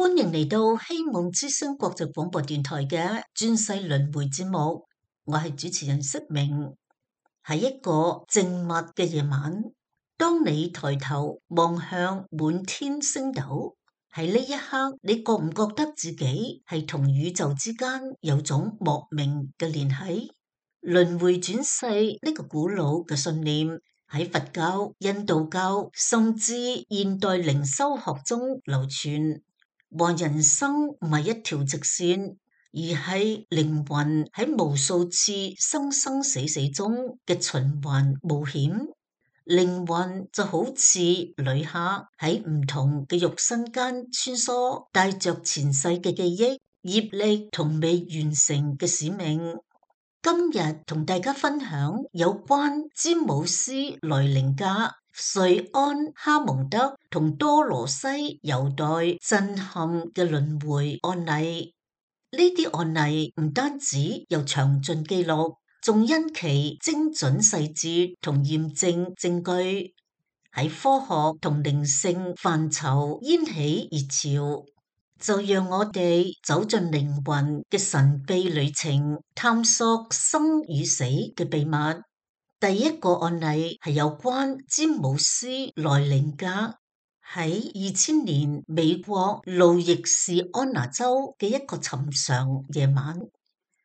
歡迎嚟到希望之聲國際廣播電台嘅轉世輪迴節目，我係主持人釋明。喺一個靜默嘅夜晚，當你抬頭望向滿天星斗，喺呢一刻，你覺唔覺得自己係同宇宙之間有種莫名嘅聯繫？輪迴轉世呢個古老嘅信念喺佛教、印度教甚至現代靈修學中流傳。話人生唔係一條直線，而係靈魂喺無數次生生死死中嘅循環冒險。靈魂就好似旅客喺唔同嘅肉身間穿梭，帶着前世嘅記憶、業力同未完成嘅使命。今日同大家分享有關詹姆斯·萊寧格、瑞安·哈蒙德同多羅西·尤代震撼嘅輪迴案例。呢啲案例唔單止有詳盡記錄，仲因其精準細節同驗證證據，喺科學同靈性範疇掀起熱潮。就讓我哋走進靈魂嘅神秘旅程，探索生與死嘅秘密。第一個案例係有關詹姆斯·萊寧格喺2000年美國路易士安那州嘅一個尋常夜晚，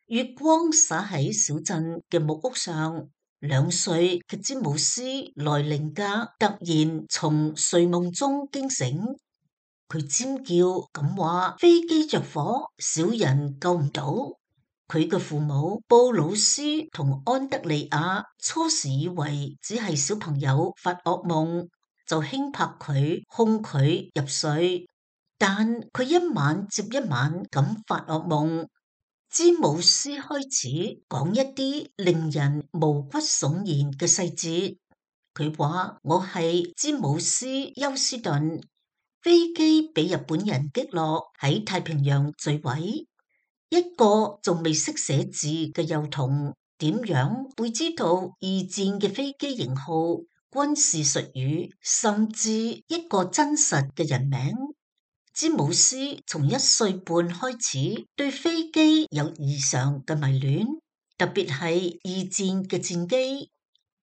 月光灑喺小鎮嘅木屋上。2歲嘅詹姆斯·萊寧格突然從睡夢中驚醒。佢尖叫咁話：飛機着火，小人救唔到。佢嘅父母布魯斯同安德利亞初時以為只係小朋友發噩夢，就輕拍佢，哄佢入睡。但佢一晚接一晚咁發噩夢。詹姆斯開始講一啲令人毛骨悚然嘅細節。佢話：我係詹姆斯·休斯頓。飛機俾日本人擊落，喺太平洋墜毀。一個仲未識寫字嘅幼童點樣會知道二戰嘅飛機型號、軍事術語，甚至一個真實嘅人名？詹姆斯從1歲半開始對飛機有異常嘅迷戀，特別係二戰嘅戰機。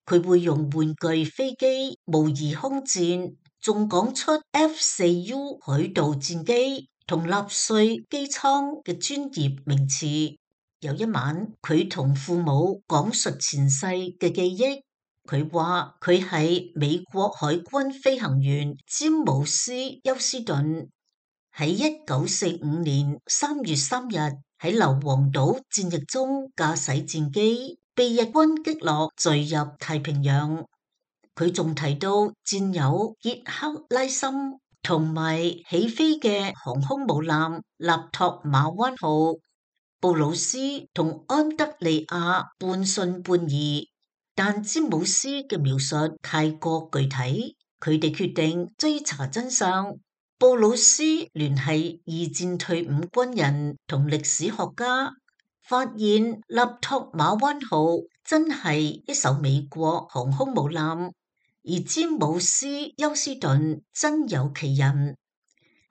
佢會用玩具飛機模擬空戰，仲講出 F4U 海盜戰機同納粹機艙嘅專業名詞。有一晚，佢同父母講述前世嘅記憶。佢話佢係美國海軍飛行員詹姆斯·休斯頓，喺1945年3月3日喺硫磺島戰役中駕駛戰機，被日軍擊落，墜入太平洋。佢仲提到戰友傑克拉森同埋起飛嘅航空母艦納托馬灣號。布魯斯同安德利亞半信半疑，但詹姆斯嘅描述太過具體，佢哋決定追查真相。布魯斯聯繫二戰退伍軍人同歷史學家，發現納托馬灣號真係一艘美國航空母艦，而詹姆斯·休斯頓真有其人。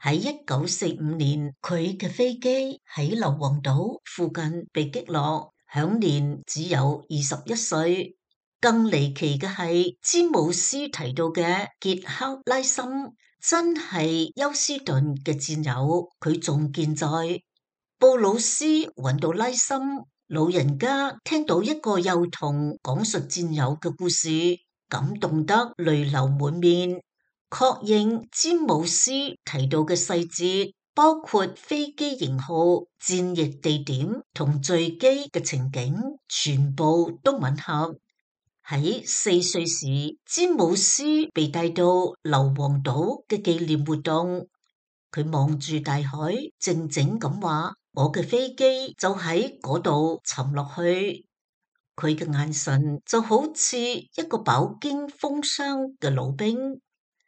喺1945年，佢嘅飛機喺硫磺島附近被擊落，享年只有21歲。更離奇嘅係，詹姆斯提到嘅傑克拉森真係休斯頓嘅戰友，佢仲健在。布魯斯揾到拉森，老人家聽到一個幼童講述戰友嘅故事，感動得淚流滿面。確認詹姆斯提到嘅細節，包括飛機型號、戰役地點同墜機嘅情景，全部都吻合。喺4歲時，詹姆斯被帶到硫磺島嘅紀念活動，佢望住大海，靜靜咁話：我嘅飛機就喺嗰度沉落去。佢嘅眼神就好似一個飽經風霜嘅老兵。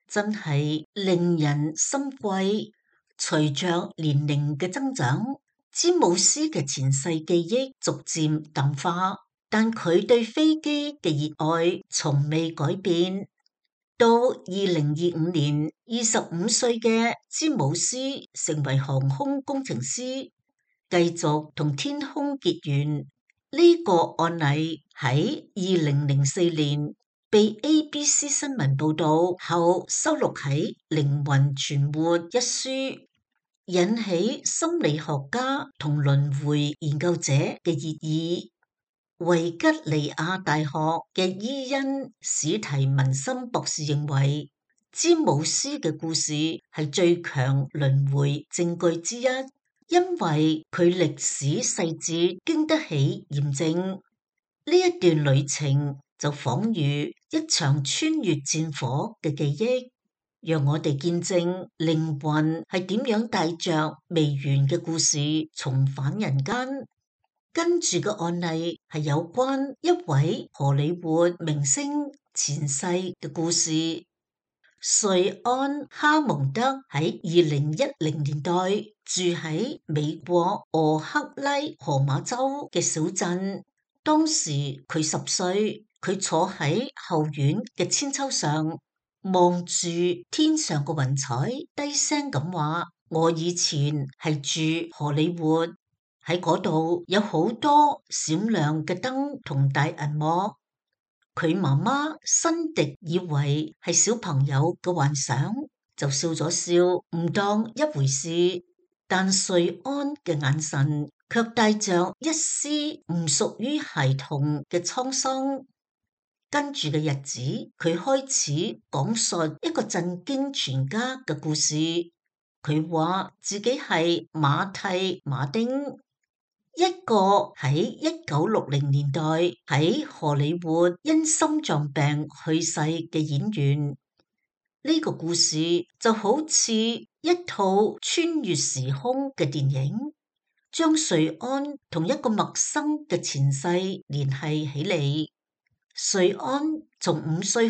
真係令人心悸。隨着年齡嘅增長，詹姆斯嘅前世記憶逐漸淡化，但佢對飛機嘅熱愛從未改變。到2025年，25歲嘅詹姆斯成為航空工程師，繼續同天空結緣。呢個案例喺2004年被 ABC 新聞報道後收錄喺《靈魂存活》一書，引起心理學家同輪迴研究者嘅熱議。維吉尼亞大學嘅伊恩史提文森博士認為，詹姆斯嘅故事係最強輪迴證據之一，因為佢歷史細節經得起驗證。呢一段旅程就仿如一場穿越戰火嘅記憶，讓我哋見證靈魂係點樣帶着未完嘅故事重返人間。跟住嘅案例係有關一位荷里活明星前世嘅故事。瑞安哈蒙德喺2010年代住喺美國俄克拉荷馬州嘅小鎮，當時佢10歲，佢坐喺後院嘅韆鞦上，望住天上嘅雲彩，低聲咁話：我以前係住荷里活。喺嗰度有好多閃亮嘅燈同大銀幕，佢媽媽辛迪以為係小朋友嘅幻想，就笑咗笑，唔當一回事。但瑞安嘅眼神卻帶着一絲唔屬於孩童嘅滄桑。跟住嘅日子，佢開始講述一個震驚全家嘅故事。佢話自己係馬蒂馬丁，一個喺1960年代喺荷里活因心臟病去世嘅演員。呢個故事就好似一套穿越時空嘅電影，將瑞安同一個陌生嘅前世聯繫起嚟。瑞安從5歲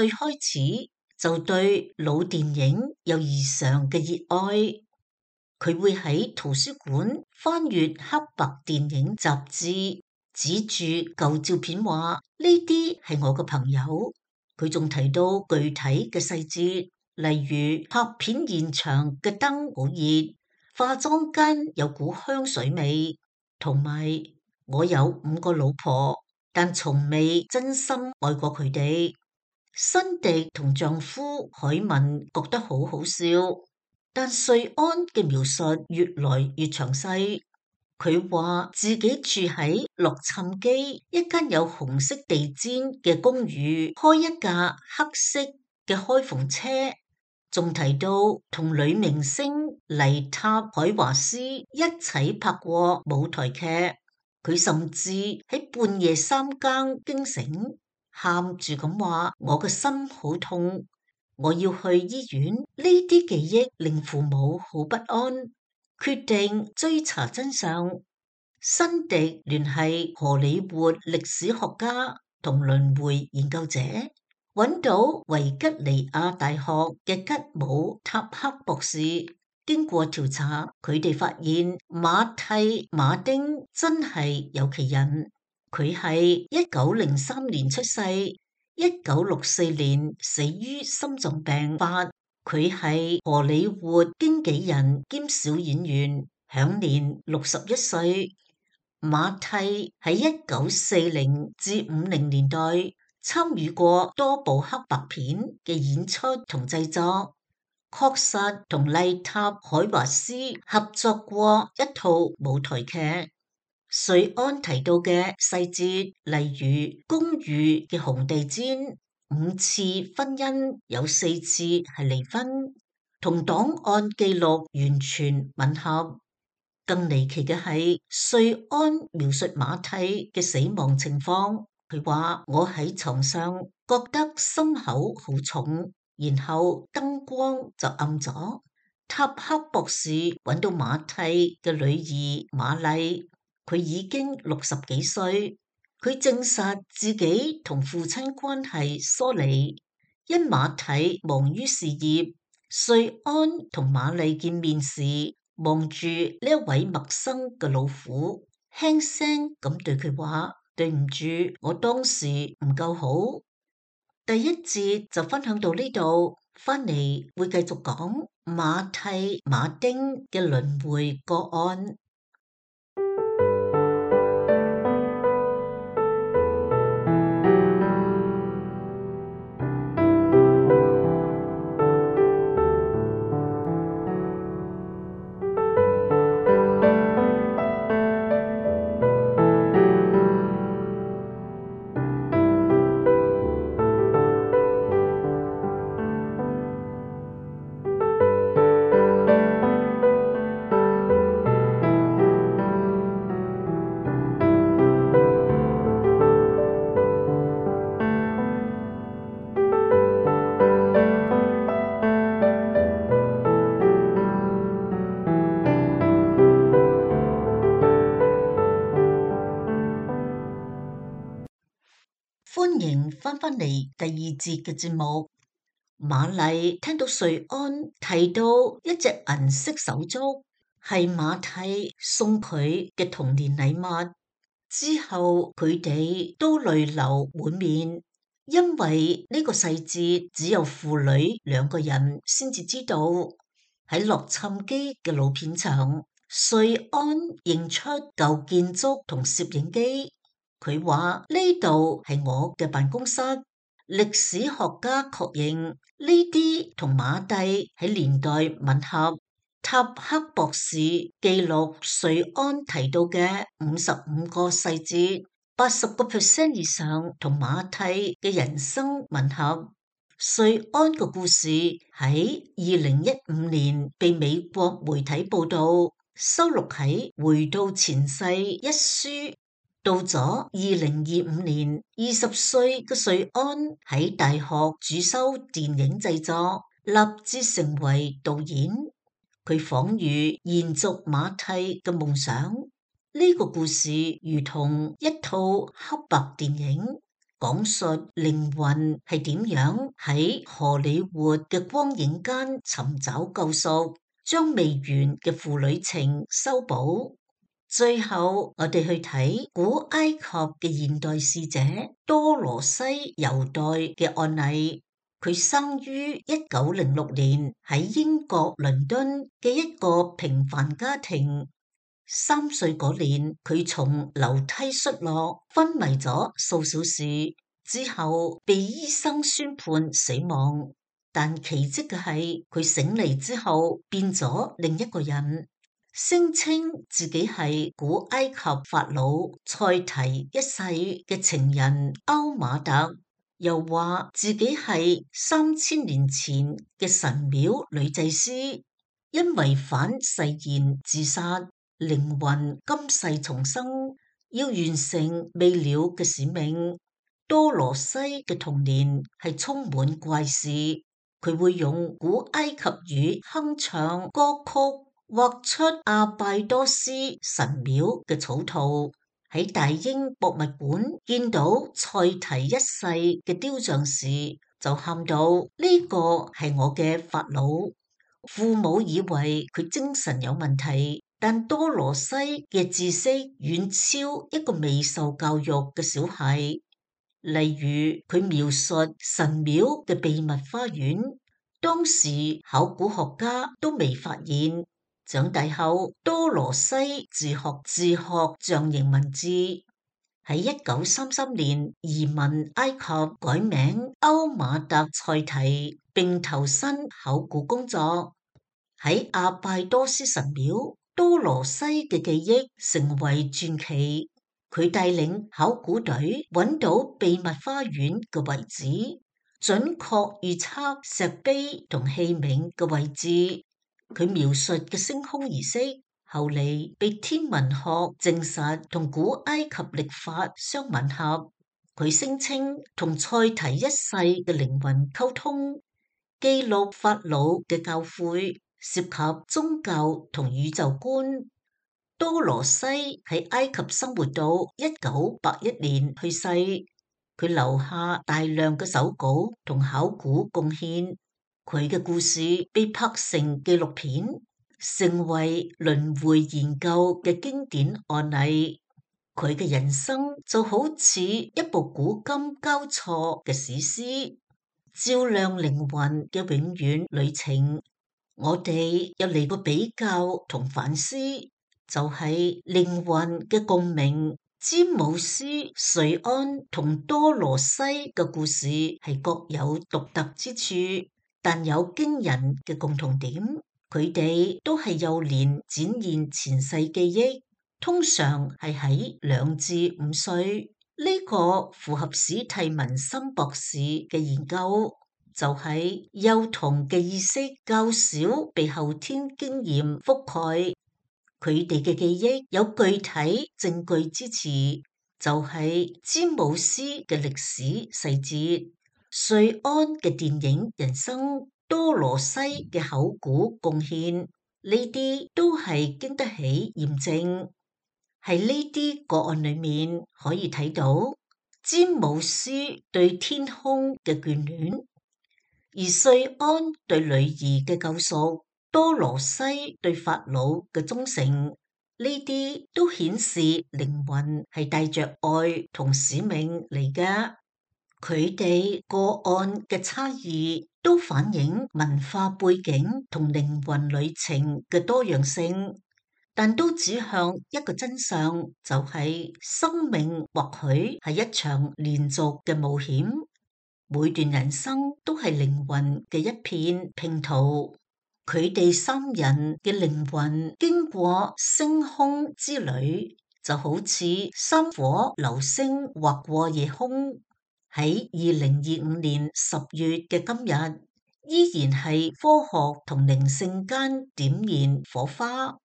開始就對老電影有異常嘅熱愛。佢會喺圖書館翻閱黑白電影雜誌，指住舊照片話：呢啲係我嘅朋友。佢仲提到具體嘅細節，例如拍片現場嘅燈好熱，化妝間有股香水味，同埋我有5個老婆，但從未真心愛過佢哋。辛迪同丈夫海文覺得好好笑。但瑞安嘅描述越來越詳細，佢話自己住喺洛杉磯一間有紅色地氈嘅公寓，開一架黑色嘅開篷車，仲提到同女明星麗塔海華斯一齊拍過舞台劇。佢甚至喺半夜3更驚醒，喊住咁話：我嘅心好痛。我要去醫院。呢啲記憶令父母好不安，決定追查真相。辛迪聯繫荷里活歷史學家同輪迴研究者，揾到維吉尼亞大學嘅吉姆塔克博士。經過調查，佢哋發現馬蒂馬丁真係有其人。佢係1903年出世。1964年死於心臟病發，佢係荷里活經紀人兼小演員，享年61歲。馬蒂喺1940至50年代參與過多部黑白片嘅演出同製作，確實同麗塔海華斯合作過一套舞台劇。瑞安提到嘅細節，例如公寓嘅紅地毯、5次婚姻有4次係離婚，同檔案記錄完全吻合。更離奇嘅係，瑞安描述馬蒂嘅死亡情況，佢話：我喺床上覺得心口好重，然後燈光就暗咗。塔克博士揾到馬蒂嘅女兒瑪麗。佢已經60幾歲，佢證實自己同父親關係疏離，因馬蒂忙於事業。瑞安同瑪麗見面時，望住呢一位陌生嘅老婦，輕聲咁對佢話：對唔住，我當時唔夠好。第一節就分享到呢度，返嚟會繼續講馬蒂馬丁嘅輪迴個案。歡迎返嚟第二節嘅節目。瑪麗聽到瑞安提到一隻銀色手足係馬蒂送佢嘅童年禮物之後，佢哋都淚流滿面，因為呢個細節只有父女兩個人先至知道。喺洛杉磯嘅老片場，瑞安認出舊建築同攝影機。佢話呢度係我嘅辦公室，歷史學家確認呢啲同馬蒂喺年代吻合。塔克博士記錄瑞安提到嘅55個細節，80% 以上同馬蒂嘅人生吻合。瑞安嘅故事喺2015年被美國媒體報道，收錄喺《回到前世》一書。到咗2025年，20歲嘅瑞安喺大學主修電影製作，立志成為導演。佢仿如延續馬蒂嘅夢想。呢個故事如同一套黑白電影，講述靈魂係點樣喺荷里活嘅光影間尋找救贖，將未完嘅父女情修補。最後，我哋去睇古埃及嘅現代使者多羅西猶代嘅案例。佢生於1906年喺英國倫敦嘅一個平凡家庭。3歲嗰年，佢從樓梯摔落，昏迷咗數小時，之後被醫生宣判死亡。但奇蹟嘅係，佢醒嚟之後變咗另一個人。聲稱自己係古埃及法老塞提一世嘅情人歐馬特，又話自己係3000年前嘅神廟女祭司，因違反誓言自殺，靈魂今世重生，要完成未了嘅使命。多羅西嘅童年係充滿怪事，佢會用古埃及語哼唱歌曲，畫出阿拜多斯神廟嘅草圖。喺大英博物館見到塞提一世嘅雕像時，就喊到呢個係我嘅法老。父母以為佢精神有問題，但多羅西嘅知識遠超一個未受教育嘅小孩。例如，佢描述神廟嘅秘密花園，當時考古學家都未發現。長大後，多羅西自學象形文字。喺1933年移民埃及，改名歐馬特塞提，並投身考古工作。喺阿拜多斯神廟，多羅西嘅記憶成為傳奇。佢帶領考古隊揾到秘密花園嘅位置，準確預測石碑同器皿嘅位置。佢描述嘅升空儀式，後嚟被天文學證實同古埃及曆法相吻合。佢聲稱同塞提一世嘅靈魂溝通，記錄法老嘅教誨，涉及宗教同宇宙觀。多羅西喺埃及生活到1981年去世，佢留下大量嘅手稿同考古貢獻。佢嘅故事被拍成紀錄片，成為輪迴研究嘅經典案例。佢嘅人生就好似一部古今交錯嘅史詩，照亮靈魂嘅永遠旅程。我哋又嚟個比較同反思，就係靈魂嘅共鳴。詹姆斯、瑞安同多羅西嘅故事係各有獨特之處，但有驚人嘅共同點。佢哋都係幼年展現前世記憶，通常係喺2至5歲。呢個符合史蒂文森博士嘅研究，就係幼童嘅意識較少被後天經驗覆蓋。佢哋嘅記憶有具體證據支持，就係詹姆斯嘅歷史細節、瑞安嘅電影人生、多羅西嘅考古貢獻，呢啲都係經得起驗證。喺呢啲個案裏面可以睇到詹姆斯對天空嘅眷戀，而瑞安對女兒嘅救贖，多羅西對法老嘅忠誠，呢啲都顯示靈魂係帶着愛同使命嚟㗎。佢哋個案嘅差異都反映文化背景同靈魂旅程嘅多樣性，但都指向一個真相，就係生命或許係一場連續嘅冒險。每段人生都係靈魂嘅一片拼圖，佢哋3人嘅靈魂經過星空之旅，就好似3顆流星劃過夜空。喺2025年10月嘅今日，依然係科學同靈性間點燃火花。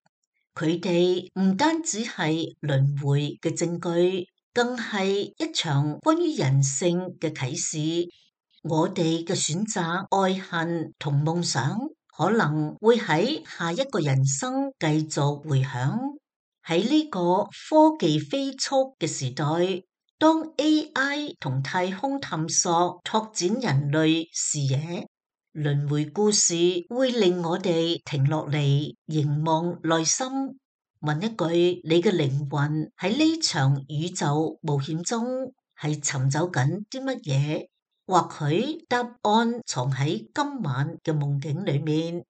佢哋唔單止係輪迴嘅證據，更係一場關於人性嘅啟示。我哋嘅選擇、愛恨同夢想，可能會喺下一個人生繼續回響。喺呢個科技飛速嘅時代，當 AI 同太空探索拓展人類視野，輪迴故事會令我哋停落嚟，凝望內心，問一句：你嘅靈魂喺呢場宇宙冒險中係尋找緊啲乜嘢？或許答案藏喺今晚嘅夢境裏面，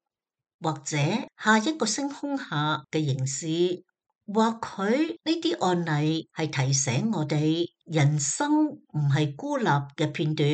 或者下一個星空下嘅凝視。或許呢啲案例係提醒我哋，人生唔係孤立嘅片段，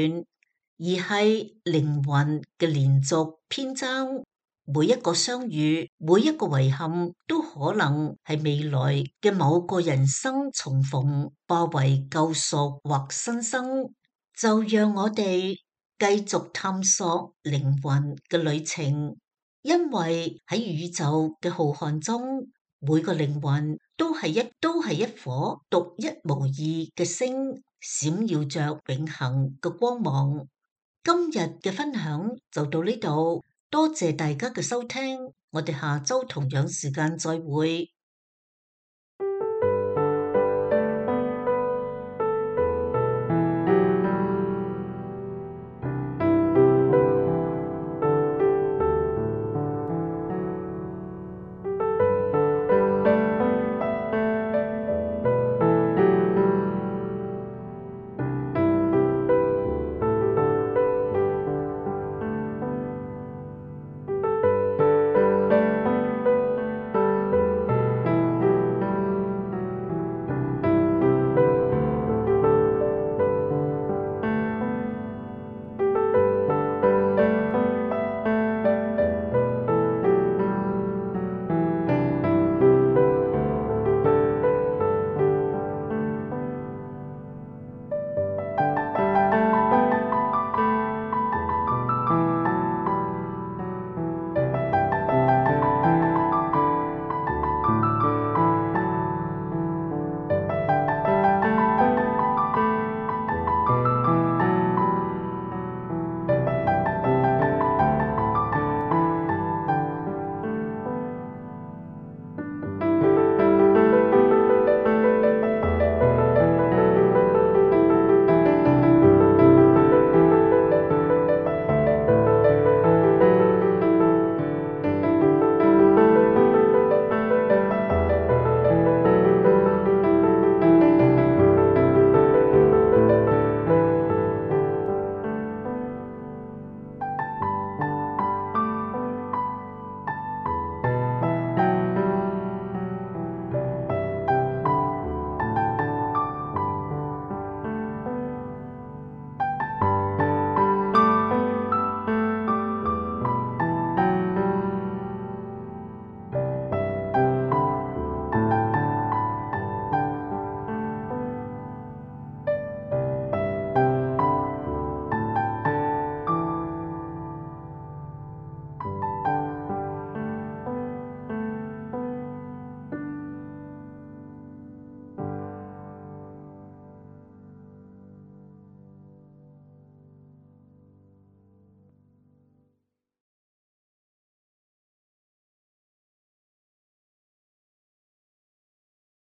而係靈魂嘅連續篇章。每一個相遇，每一個遺憾，都可能係未來嘅某個人生重逢，化為救贖或新生。就讓我哋繼續探索靈魂嘅旅程，因為喺宇宙嘅浩瀚中，每個靈魂都係一顆獨一無二嘅星，閃耀着永恆嘅光芒。今日嘅分享就到呢度，多謝大家嘅收聽，我哋下周同樣時間再會。